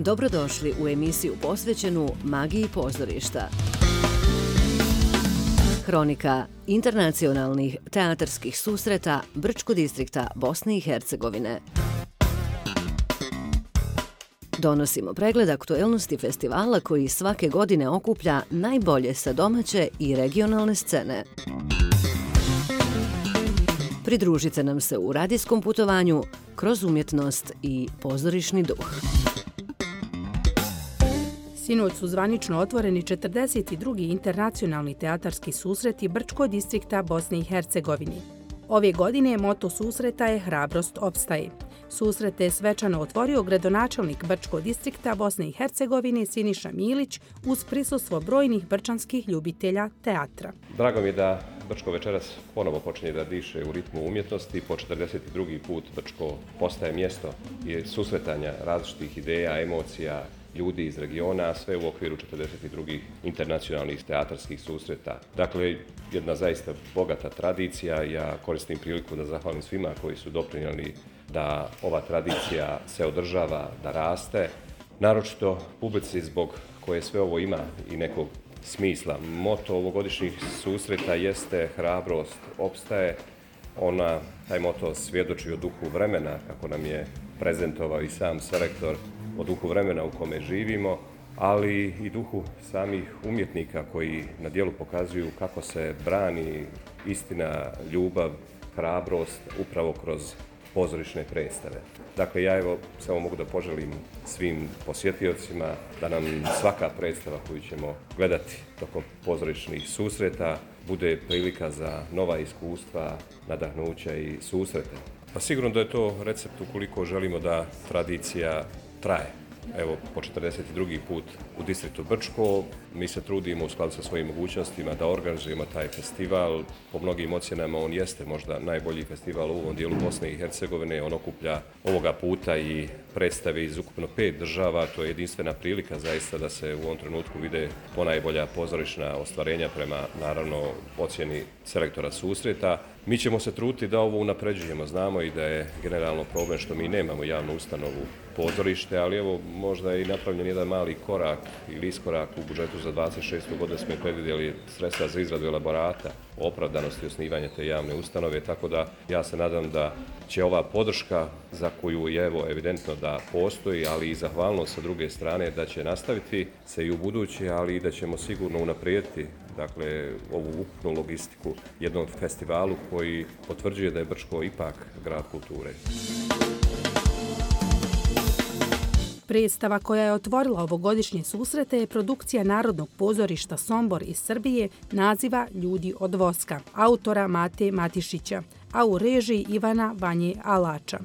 Dobrodošli u emisiju posvećenu magiji pozorišta. Hronika internacionalnih teatarskih susreta Brčko distrikta Bosne i Hercegovine. Donosimo pregled aktuelnosti festivala koji svake godine okuplja najbolje sa domaće i regionalne scene. Pridružite nam se u radijskom putovanju kroz umjetnost i pozorišni duh. Sinoć su zvanično otvoreni 42. internacionalni teatarski susreti Brčko distrikta Bosne i Hercegovine. Ove godine moto susreta je Hrabrost opstaje. Susrete je svečano otvorio gradonačelnik Brčko distrikta Bosne i Hercegovine Siniša Milić uz prisustvo brojnih brčanskih ljubitelja teatra. Drago mi je da Brčko večeras ponovo počinje da diše u ritmu umjetnosti. Po 42. put Brčko postaje mjesto susretanja različitih ideja, emocija, ljudi iz regiona, a sve u okviru 42. internacionalnih teatarskih susreta. Dakle, jedna zaista bogata tradicija. Ja koristim priliku da zahvalim svima koji su doprinijeli da ova tradicija se održava, da raste. Naročito publici zbog koje sve ovo ima i nekog smisla. Moto ovogodišnjih susreta jeste Hrabrost opstaje. Taj moto svjedoči o duhu vremena, kako nam je prezentovao i sam selektor, o duhu vremena u kome živimo, ali i duhu samih umjetnika koji na djelu pokazuju kako se brani istina, ljubav, hrabrost upravo kroz pozorišne predstave. Dakle, ja samo mogu da poželim svim posjetiocima da nam svaka predstava koju ćemo gledati tokom pozorišnih susreta bude prilika za nova iskustva, nadahnuća i susrete. Pa sigurno da je to recept ukoliko želimo da tradicija traje. Evo, po 42. put u distriktu Brčko mi se trudimo u skladu sa svojim mogućnostima da organizujemo taj festival. Po mnogim ocjenama on jeste možda najbolji festival u ovom dijelu Bosne i Hercegovine. On okuplja ovoga puta i predstave iz ukupno 5 država. To je jedinstvena prilika zaista da se u ovom trenutku vide ponajbolja pozorišna ostvarenja prema, naravno, ocjeni selektora susreta. Mi ćemo se truditi da ovo unapređujemo. Znamo i da je generalno problem što mi nemamo javnu ustanovu pozorište, ali evo možda je i napravljen jedan mali korak ili iskorak u budžetu za 26. godinu smo predvidjeli sredstva za izradu elaborata o opravdanosti osnivanja te javne ustanove, tako da ja se nadam da će ova podrška za koju je evidentno da postoji, ali i zahvalnost sa druge strane da će nastaviti se i u buduće, ali i da ćemo sigurno unaprijediti ovu ukupnu logistiku jednom festivalu koji potvrđuje da je Brčko ipak grad kulture. Predstava koja je otvorila ovogodišnje susrete je produkcija Narodnog pozorišta Sombor iz Srbije naziva Ljudi od voska, autora Mate Matišića, a u režiji Ivana Vanje Alača.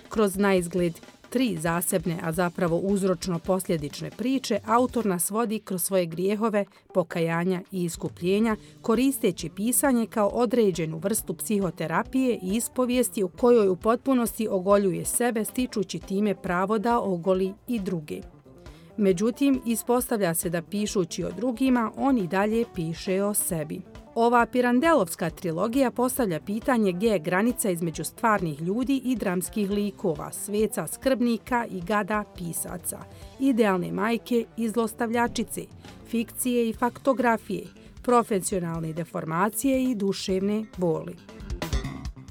Kroz naizgled 3 zasebne, a zapravo uzročno-posljedične priče, autor nas vodi kroz svoje grijehove, pokajanja i iskupljenja, koristeći pisanje kao određenu vrstu psihoterapije i ispovijesti u kojoj u potpunosti ogoljuje sebe, stičući time pravo da ogoli i druge. Međutim, ispostavlja se da pišući o drugima, on i dalje piše o sebi. Ova Pirandelovska trilogija postavlja pitanje gdje je granica između stvarnih ljudi i dramskih likova, sveca skrbnika i gada pisaca, idealne majke i zlostavljačice, fikcije i faktografije, profesionalne deformacije i duševne boli.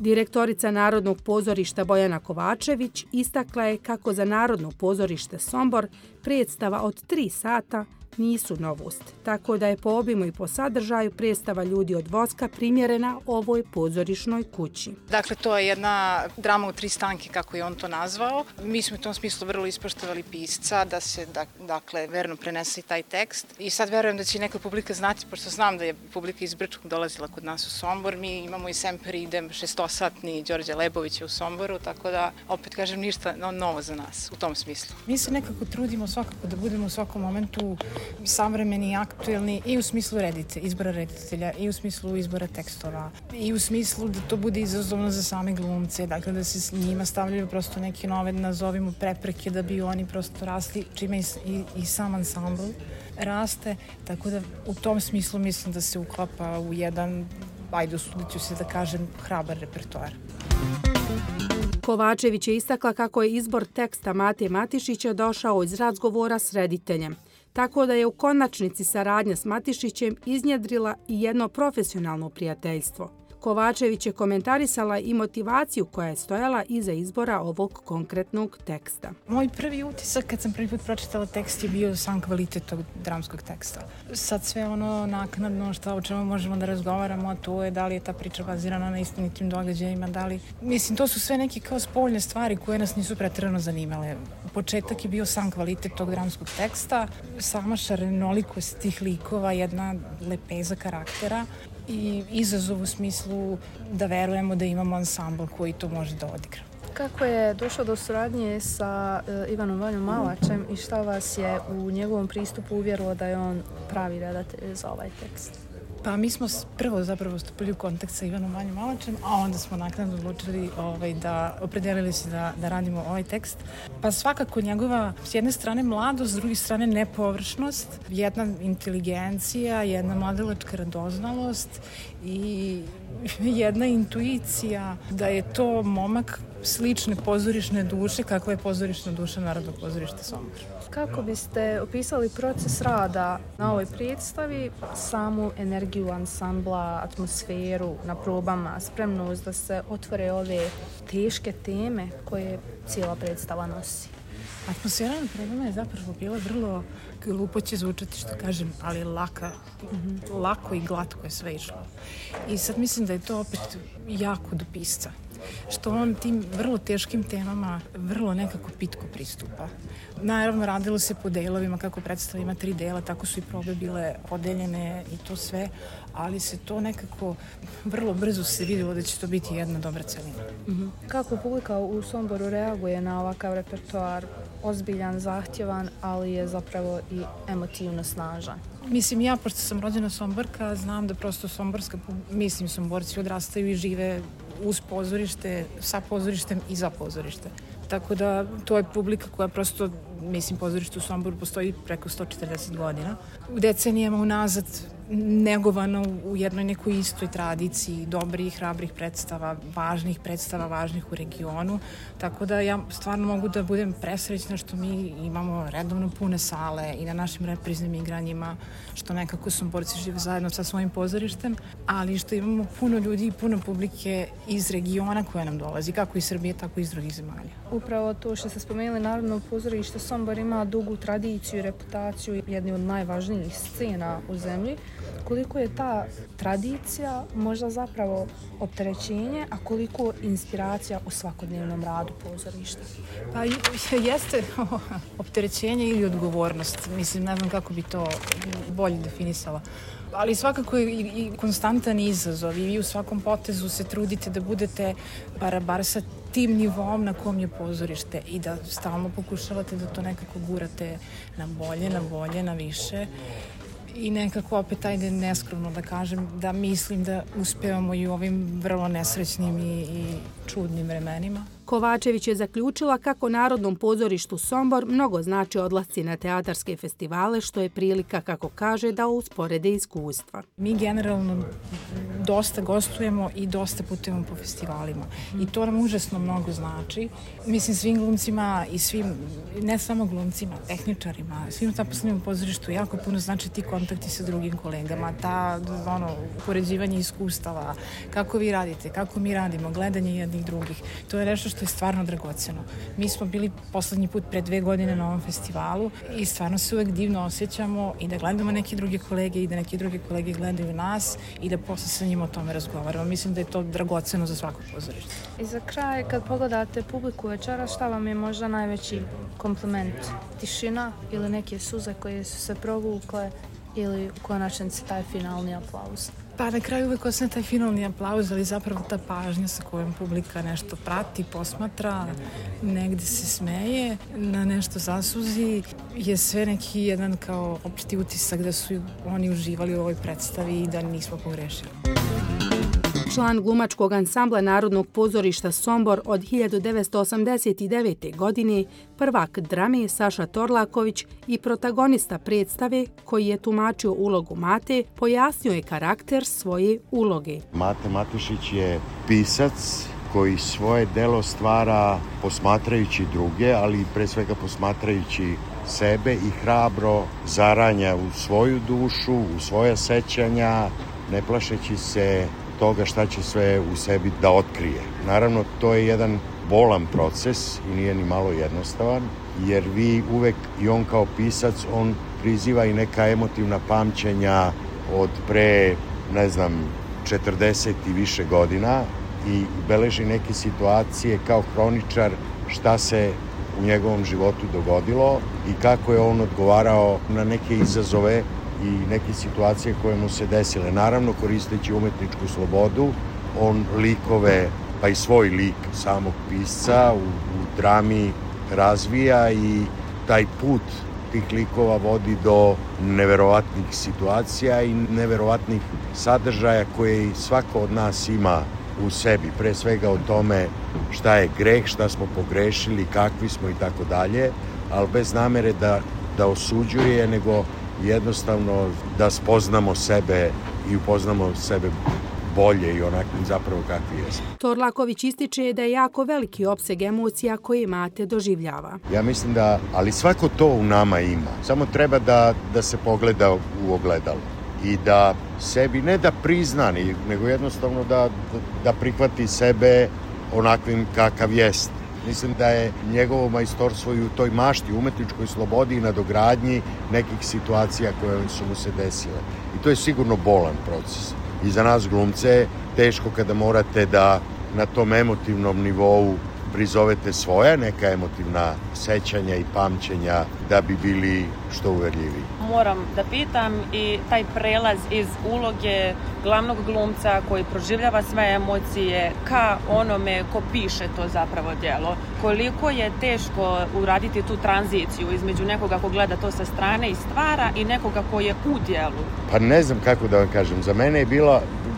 Direktorica Narodnog pozorišta Bojana Kovačević istakla je kako za Narodno pozorište Sombor predstava od 3 sata nisu novost, tako da je po obimu i po sadržaju predstava Ljudi od voska primjerena ovoj pozorišnoj kući. Dakle, to je jedna drama u 3 stanke, kako je on to nazvao. Mi smo u tom smislu vrlo ispoštovali pisca da se, verno prenese taj tekst. I sad verujem da će neka publika znati, pošto znam da je publika iz Brčkog dolazila kod nas u Sombor. Mi imamo i Semper idem 6-satni Đorđe Lebovića u Somboru, tako da, opet kažem, ništa novo za nas u tom smislu. Mi se nekako trudimo svakako da budemo u svakom momentu savremeni i aktuelni i u smislu izbora reditelja, i u smislu izbora tekstova, i u smislu da to bude izazovno za same glumce, dakle da se s njima stavljaju prosto neke nove, nazovimo, prepreke da bi oni prosto rasli, čime i sam ansambl raste, tako da u tom smislu mislim da se uklapa u jedan ajde, usudit ću se da kažem, hrabar repertoar. Kovačević je istakla kako je izbor teksta Mate Matišića došao iz razgovora s rediteljem, tako da je u konačnici saradnja s Matišićem iznjedrila i jedno profesionalno prijateljstvo. Kovačević je komentarisala i motivaciju koja je stojala iza izbora ovog konkretnog teksta. Moj prvi utisak kad sam prvi put pročitala tekst je bio sam kvalitet tog dramskog teksta. Sad sve ono naknadno o čemu možemo da razgovaramo, a to je da li je ta priča bazirana na istinitim događajima, da li... Mislim, to su sve neke kao spoljne stvari koje nas nisu preterano zanimale. Početak je bio sam kvalitet tog dramskog teksta, sama šarenolikost tih likova, jedna lepeza karaktera i izazov u smislu da verujemo da imamo ansambl koji to može da odigra. Kako je došlo do suradnje sa Ivanom Vanjom Malačem i šta vas je u njegovom pristupu uvjerilo da je on pravi redatelj za ovaj tekst? Pa mi smo prvo zapravo stupili u kontakt sa Ivanom Vanjom Malačem, a onda smo naknadno odlučili da opredelili se da radimo ovaj tekst. Pa svakako njegova, s jedne strane mladost, s druge strane nepovršnost, jedna inteligencija, jedna mladalačka radoznalost i jedna intuicija da je to momak slične pozorišne duše kakva je pozorišna duša Narodnog pozorišta Sombor. Kako biste opisali proces rada na ovoj predstavi, samu energiju ansambla, atmosferu na probama, spremnost da se otvore ove teške teme koje cijela predstava nosi? Atmosfera na probama je zapravo bila vrlo, glupo će zvučati što kažem, ali lako i glatko je sve išlo. I sad mislim da je to opet jako do pisca, što on tim vrlo teškim temama vrlo nekako pitko pristupa. Naravno, radilo se po delovima, kako predstava ima 3 dela, tako su i probe bile podeljene i to sve, ali se to nekako vrlo brzo se vidjelo da će to biti jedna dobra celina. Kako publika u Somboru reaguje na ovakav repertoar? Ozbiljan, zahtjevan, ali je zapravo i emotivno snažan. Mislim, ja, pošto sam rođena Somborka, znam da prosto Somborci odrastaju i žive uz pozorište, sa pozorištem i za pozorište. Tako da to je publika koja prosto, pozorište u Somboru postoji preko 140 godina. U decenijama unazad negovano u jednoj nekoj istoj tradiciji dobrih, hrabrih predstava, važnih u regionu. Tako da ja stvarno mogu da budem presrećna što mi imamo redovno pune sale i na našim repriznim igranjima, što nekako Somborci žive zajedno sa svojim pozorištem, ali što imamo puno ljudi i puno publike iz regiona koja nam dolazi, kako iz Srbije, tako i iz drugih zemalja. Upravo to što ste spomenuli, Narodno pozorište Sombor ima dugu tradiciju i reputaciju, jedni od najvažnijih scena u zemlji. Koliko je ta tradicija možda zapravo opterećenje, a koliko inspiracija u svakodnevnom radu pozorišta? Pa jeste opterećenje ili odgovornost. Mislim, ne znam kako bi to bolje definisala. Ali svakako je i konstantan izazov i vi u svakom potezu se trudite da budete bar sa tim nivom na kom je pozorište i da stalno pokušavate da to nekako gurate na bolje, na više. I nekako opet, ajde neskromno da kažem, da mislim da uspevamo i u ovim vrlo nesrećnim i čudnim vremenima. Kovačević je zaključila kako Narodnom pozorištu Sombor mnogo znači odlasci na teatarske festivale, što je prilika, kako kaže, da usporede iskustva. Mi generalno dosta gostujemo i dosta putujemo po festivalima i to nam užasno mnogo znači. Mislim, svim glumcima i svim, ne samo glumcima, tehničarima, svim zaposlenim u pozorištu jako puno znači ti kontakti sa drugim kolegama, upoređivanje iskustava, kako vi radite, kako mi radimo, gledanje jednih drugih. To je nešto što je stvarno dragoceno. Mi smo bili poslednji put pre 2 godine na ovom festivalu i stvarno se uvek divno osjećamo i da gledamo neke druge kolege i da neke druge kolege gledaju nas i da posle sa njima o tome razgovaramo. Mislim da je to dragoceno za svako pozorište. I za kraj, kad pogledate publiku večera, šta vam je možda najveći kompliment? Tišina ili neke suze koje su se provukle ili u konačnici taj finalni aplauz? Pa na kraju uvek osne taj finalni aplauz, ali zapravo ta pažnja sa kojom publika nešto prati, posmatra, negde se smeje, na nešto zasuzi, je sve neki jedan kao opšti utisak da su oni uživali u ovoj predstavi i da nismo pogrešili. član glumačkog ansambla Narodnog pozorišta Sombor od 1989. godine, prvak drame Saša Torlaković i protagonista predstave koji je tumačio ulogu Mate, pojasnio je karakter svoje uloge. Mate Matišić je pisac koji svoje delo stvara posmatrajući druge, ali pre svega posmatrajući sebe i hrabro zaranja u svoju dušu, u svoja sećanja, ne plašeći se toga šta će sve u sebi da otkrije. Naravno, to je jedan bolan proces i nije ni malo jednostavan, jer vi uvek, i on kao pisac, on priziva i neka emotivna pamćenja od pre, 40 i više godina i beleži neke situacije kao hroničar šta se u njegovom životu dogodilo i kako je on odgovarao na neke izazove i neke situacije koje mu se desile. Naravno, koristeći umetničku slobodu, on likove, pa i svoj lik samog pisca u drami razvija i taj put tih likova vodi do neverovatnih situacija i neverovatnih sadržaja koje svako od nas ima u sebi. Pre svega o tome šta je greh, šta smo pogrešili, kakvi smo i tako dalje, ali bez namere da osuđuje, nego jednostavno da spoznamo sebe i upoznamo sebe bolje i onakvim zapravo kakvi jesmo. Torlaković ističe da je jako veliki opseg emocija koje Mate doživljava. Ja mislim da, ali svako to u nama ima. Samo treba da se pogleda u ogledalo i da sebi ne da prizna, nego jednostavno da prihvati sebe onakvim kakav jest. Mislim da je njegovo majstorstvo i u toj mašti, umetničkoj slobodi i nadogradnji nekih situacija koje su mu se desile. I to je sigurno bolan proces. I za nas glumce teško kada morate da na tom emotivnom nivou prizovete svoja neka emotivna sećanja i pamćenja da bi bili što uverljiviji. Moram da pitam i taj prelaz iz uloge glavnog glumca koji proživljava sve emocije ka onome ko piše to zapravo djelo. Koliko je teško uraditi tu tranziciju između nekoga ko gleda to sa strane i stvara i nekoga ko je u djelu? Pa ne znam kako da vam kažem. Za mene je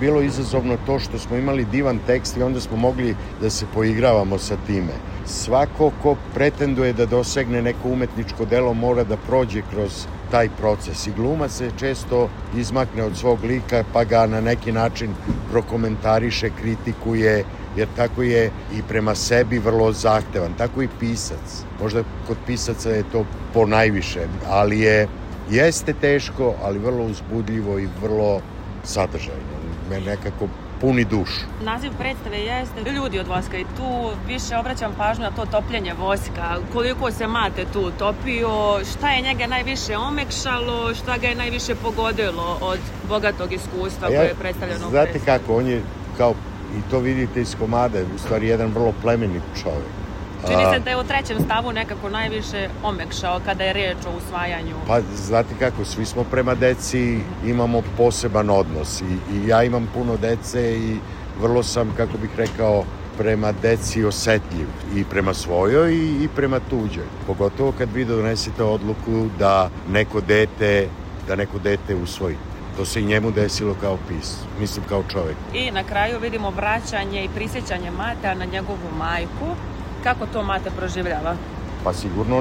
bilo izazovno to što smo imali divan tekst i onda smo mogli da se poigravamo sa time. Svako ko pretenduje da dosegne neko umetničko delo mora da prođe kroz taj proces i glumac se često izmakne od svog lika pa ga na neki način prokomentariše, kritikuje, jer tako je i prema sebi vrlo zahtevan, tako i pisac. Možda kod pisaca je to ponajviše, ali jeste teško, ali vrlo uzbudljivo i vrlo sadržajno. Me nekako puni dušu. Naziv predstave jeste Ljudi od voska i tu više obraćam pažnju na to topljenje voska. Koliko se Mate tu topio, šta je njega najviše omekšalo, šta ga je najviše pogodilo od bogatog iskustva koje je predstavljeno u predstavi? Znate kako, on je kao, i to vidite iz komada, u stvari jedan vrlo plemenit čovjek. Čini se da je u trećem stavu nekako najviše omekšao kada je reč o usvajanju. Pa znate kako, svi smo prema deci, imamo poseban odnos i ja imam puno dece i vrlo sam, kako bih rekao, prema deci osetljiv i prema svojoj i prema tuđoj. Pogotovo kad vi donesete odluku da neko dete usvojite. To se i njemu desilo kao mislim kao čovjek. I na kraju vidimo vraćanje i prisjećanje Matea na njegovu majku. Kako to Mate proživljava? Pa sigurno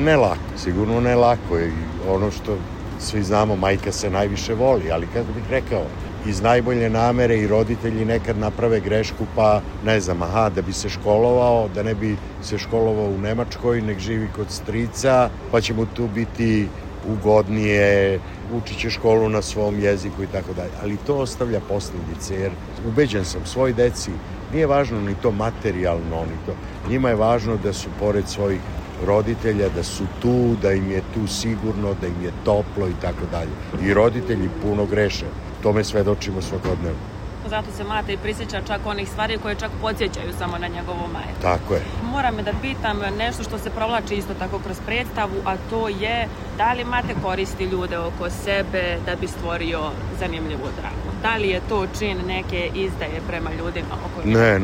ne lako. I ono što svi znamo, majka se najviše voli, ali kako bih rekao, iz najbolje namere i roditelji nekad naprave grešku, pa ne znam, da bi se školovao, da ne bi se školovao u Nemačkoj, nek živi kod strica, pa će mu tu biti ugodnije, učit će školu na svom jeziku i tako dalje. Ali to ostavlja posljedice, jer ubeđen sam, svoj deci nije važno ni to materijalno, ni to. Njima je važno da su pored svojih roditelja, da su tu, da im je tu sigurno, da im je toplo i tako dalje. I roditelji puno greše. Tome svedočimo svakodnevno. Zato se Mate i prisjeća čak onih stvari koje čak podsjećaju samo na njegovu majku. Tako je. Moram da pitam nešto što se provlači isto tako kroz predstavu, a to je da li Mate koristi ljude oko sebe da bi stvorio zanimljivu dramu? Da li je to čin neke izdaje prema ljudima oko njega? Ne,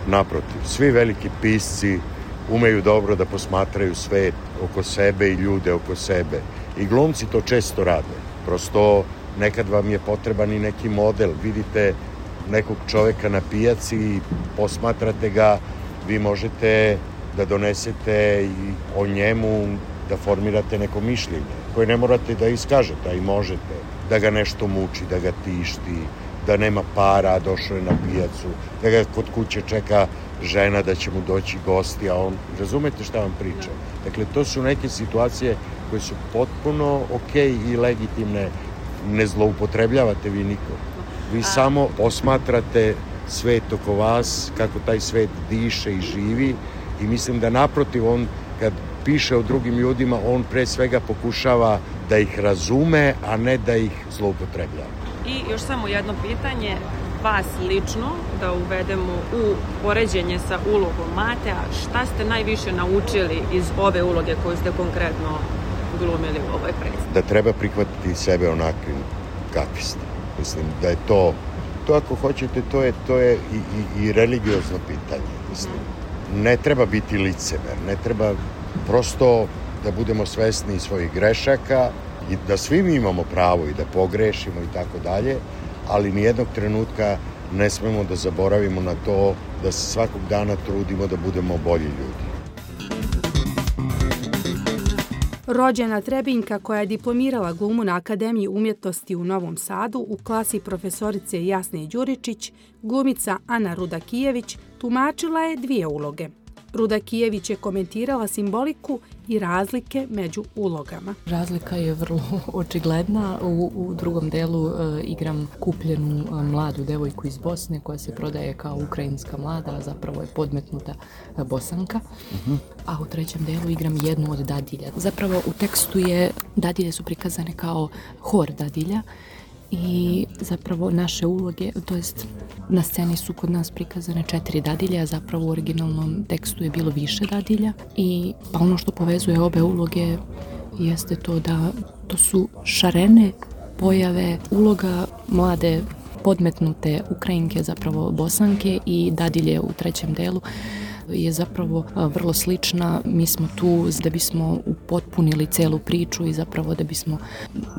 naprotiv. Svi veliki pisci umeju dobro da posmatraju svet oko sebe i ljude oko sebe. I glumci to često rade. Prosto nekad vam je potreban i neki model. Vidite nekog čoveka na pijaci i posmatrate ga, vi možete da donesete i o njemu, da formirate neko mišljenje koje ne morate da iskažete, a i možete. Da ga nešto muči, da ga tišti, da nema para, a došao je na pijacu, da ga kod kuće čeka žena da će mu doći gosti, a on, razumete šta vam pričam? Dakle, to su neke situacije koje su potpuno okej i legitimne, ne zloupotrebljavate vi nikog. Vi samo posmatrate svet oko vas, kako taj svet diše i živi i mislim da naprotiv on, kad piše o drugim ljudima, on pre svega pokušava da ih razume, a ne da ih zloupotrebljava. I još samo jedno pitanje, vas lično, da uvedemo u poređenje sa ulogom Mate, a šta ste najviše naučili iz ove uloge koju ste konkretno glumili u ovoj predstavi? Da treba prihvatiti sebe onakvim kakvi ste. Mislim da je to ako hoćete, to je i religiozno pitanje. Mislim. Ne treba biti licemer, ne treba prosto da budemo svesni svojih grešaka i da svi mi imamo pravo i da pogrešimo i tako dalje, ali nijednog trenutka ne smemo da zaboravimo na to da se svakog dana trudimo da budemo bolji ljudi. Rođena Trebinjka koja je diplomirala glumu na Akademiji umjetnosti u Novom Sadu u klasi profesorice Jasne Đuričić, glumica Ana Rudakijević tumačila je 2 uloge. Rudakijević je komentirala simboliku i razlike među ulogama. Razlika je vrlo očigledna. U drugom delu igram kupljenu mladu devojku iz Bosne koja se prodaje kao ukrajinska mlada, a zapravo je podmetnuta Bosanka. A u trećem delu igram jednu od dadilja. Zapravo u tekstu dadilje su prikazane kao hor dadilja i zapravo naše uloge, to jest na sceni su kod nas prikazane 4 dadilje, a zapravo u originalnom tekstu je bilo više dadilja i pa ono što povezuje obe uloge jeste to da to su šarene pojave uloga mlade podmetnute Ukrajinke, zapravo Bosanke, i dadilje u trećem delu je zapravo vrlo slična. Mi smo tu da bismo upotpunili celu priču i zapravo da bismo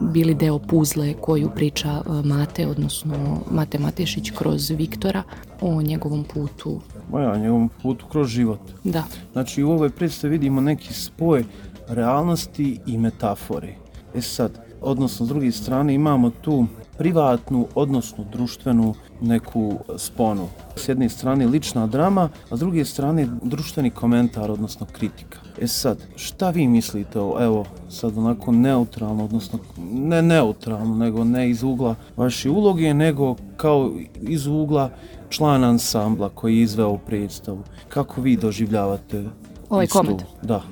bili deo puzle koju priča Mate, odnosno Mate Matešić kroz Viktora o njegovom putu. O njegovom putu kroz život. Da. Znači u ovoj predstavi vidimo neki spoj realnosti i metafore. Sad, odnosno s druge strane imamo tu privatnu, odnosno društvenu neku sponu. S jedne strane lična drama, a s druge strane društveni komentar, odnosno kritika. Sad, šta vi mislite, evo sad onako neutralno, odnosno ne neutralno, nego ne iz ugla vaše uloge, nego kao iz ugla člana ansambla koji je izveo predstavu. Kako vi doživljavate ovaj komad? Da.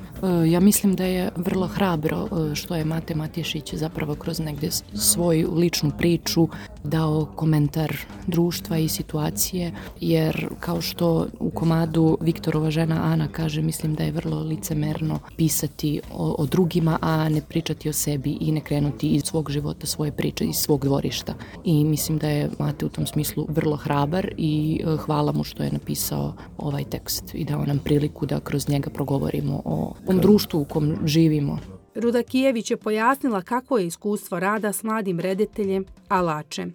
Ja mislim da je vrlo hrabro što je Mate Matešić zapravo kroz negdje svoju ličnu priču dao komentar društva i situacije, jer kao što u komadu Viktorova žena Ana kaže, mislim da je vrlo licemerno pisati o drugima, a ne pričati o sebi i ne krenuti iz svog života, svoje priče, iz svog dvorišta. I mislim da je Mate u tom smislu vrlo hrabar i hvala mu što je napisao ovaj tekst i dao nam priliku da kroz njega progovorimo o društvu u kom živimo. Rudakijević je pojasnila kako je iskustvo rada s mladim rediteljem Alače.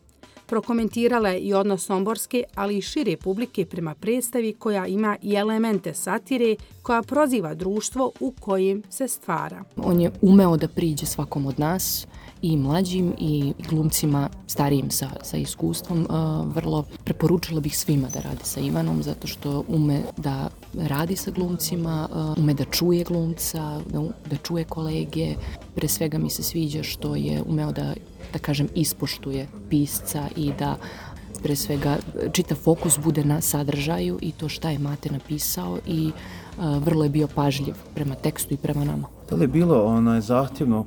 Prokomentirala je i odnos somborske, ali i šire publike prema predstavi koja ima i elemente satire koja proziva društvo u kojem se stvara. On je umeo da priđe svakom od nas, i mlađim i glumcima starijim sa iskustvom. Vrlo preporučila bih svima da rade sa Ivanom, zato što ume da radi sa glumcima, ume da čuje glumca, da čuje kolege. Pre svega mi se sviđa što je umeo da kažem, ispoštuje pisca i da pre svega čitav fokus bude na sadržaju i to šta je Mate napisao i vrlo je bio pažljiv prema tekstu i prema nama. Da li je bilo zahtjevno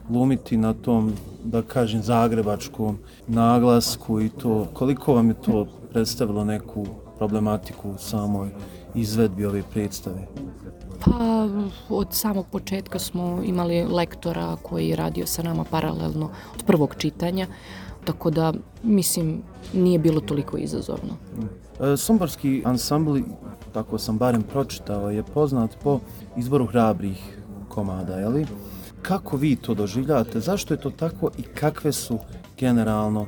glumiti na tom, da kažem, zagrebačkom naglasku i to, koliko vam je to predstavilo neku problematiku u samoj izvedbi ove predstave? Pa od samog početka smo imali lektora koji je radio sa nama paralelno od prvog čitanja, tako da, mislim, nije bilo toliko izazovno. Somborski ansambl, tako sam barem pročitao, je poznat po izboru hrabrih komada, je li? Kako vi to doživljavate? Zašto je to tako i kakve su generalno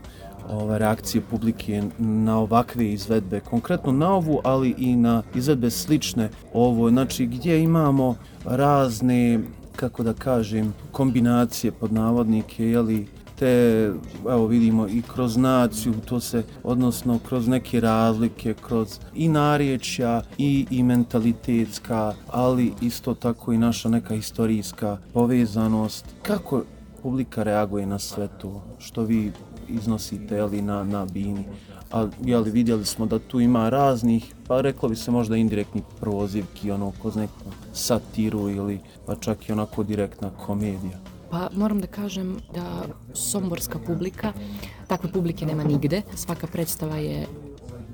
reakcije publike na ovakve izvedbe, konkretno na ovu, ali i na izvedbe slične ovo, znači gdje imamo razne, kako da kažem, kombinacije pod navodnike, jeli, te, evo vidimo i kroz naciju, to se, odnosno kroz neke razlike, kroz i narječja i mentalitetska, ali isto tako i naša neka historijska povezanost. Kako publika reaguje na sve to što vi iznosite, jeli, na bini? A jeli, vidjeli smo da tu ima raznih, pa reklo bi se možda indirektnih prozivki, ono, kroz neku satiru ili pa čak i onako direktna komedija. Pa moram da kažem da somborska publika, takve publike nema nigde. Svaka predstava je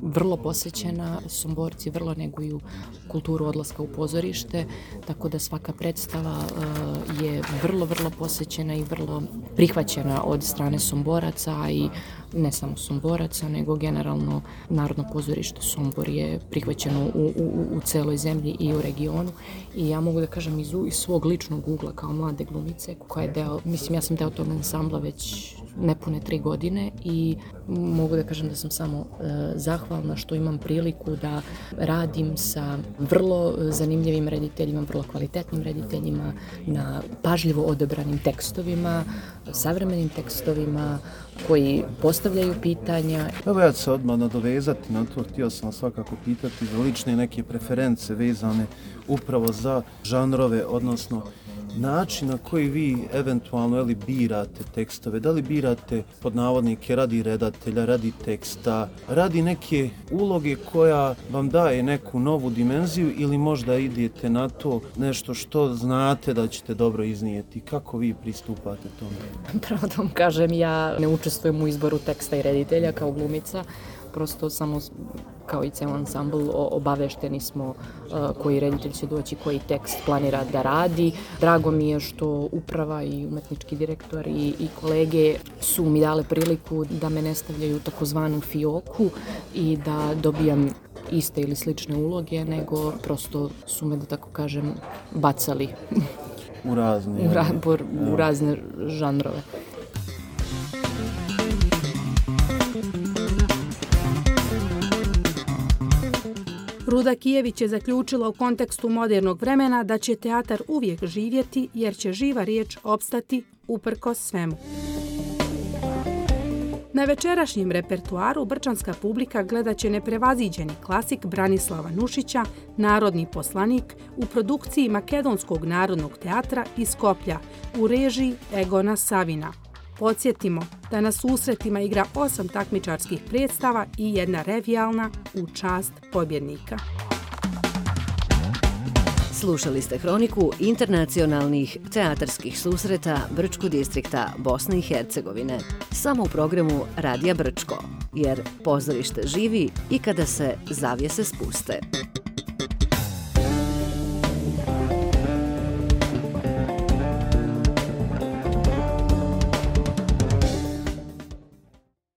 vrlo posvećena, Somborci vrlo neguju kulturu odlaska u pozorište, tako da svaka predstava je vrlo posvećena i vrlo prihvaćena od strane Somboraca i ne samo Somboraca, nego generalno Narodno pozorište Sombor je prihvaćeno u celoj zemlji i u regionu. I ja mogu da kažem iz svog ličnog ugla kao mlade glumice, koja je deo, mislim ja sam deo tog ansambla već nepune 3 godine i mogu da kažem da sam samo zahvalna što imam priliku da radim sa vrlo zanimljivim rediteljima, vrlo kvalitetnim rediteljima, na pažljivo odabranim tekstovima, savremenim tekstovima koji postavljaju pitanja. Evo ja ću se odmah nadovezati na to, htio sam svakako pitati za lične neke preference vezane upravo za žanrove, odnosno način na koji vi eventualno birate tekstove, da li birate pod navodnike radi redatelja, radi teksta, radi neke uloge koja vam daje neku novu dimenziju ili možda idete na to nešto što znate da ćete dobro iznijeti. Kako vi pristupate tome? Pravo da vam kažem, ja ne učestvujem u izboru teksta i reditelja kao glumica, prosto samo kao i ceo ansambl obavešteni smo koji reditelj će doći, koji tekst planira da radi. Drago mi je što uprava i umetnički direktor i kolege su mi dale priliku da me ne stavljaju u takozvanu fioku i da dobijam iste ili slične uloge, nego prosto su me, da tako kažem, bacali u razne žanrove. Ruda Kijević je zaključila u kontekstu modernog vremena da će teatar uvijek živjeti jer će živa riječ opstati uprkos svemu. Na večerašnjem repertuaru brčanska publika gledat će neprevaziđeni klasik Branislava Nušića, Narodni poslanik, u produkciji Makedonskog narodnog teatra iz Skoplja u režiji Egona Savina. Podsjetimo da na susretima igra 8 takmičarskih predstava i 1 revijalna u čast pobjednika. Slušali ste hroniku internacionalnih teatarskih susreta Brčkog distrikta Bosne i Hercegovine. Samo u programu Radija Brčko, jer pozorište živi i kada se zavjese spuste.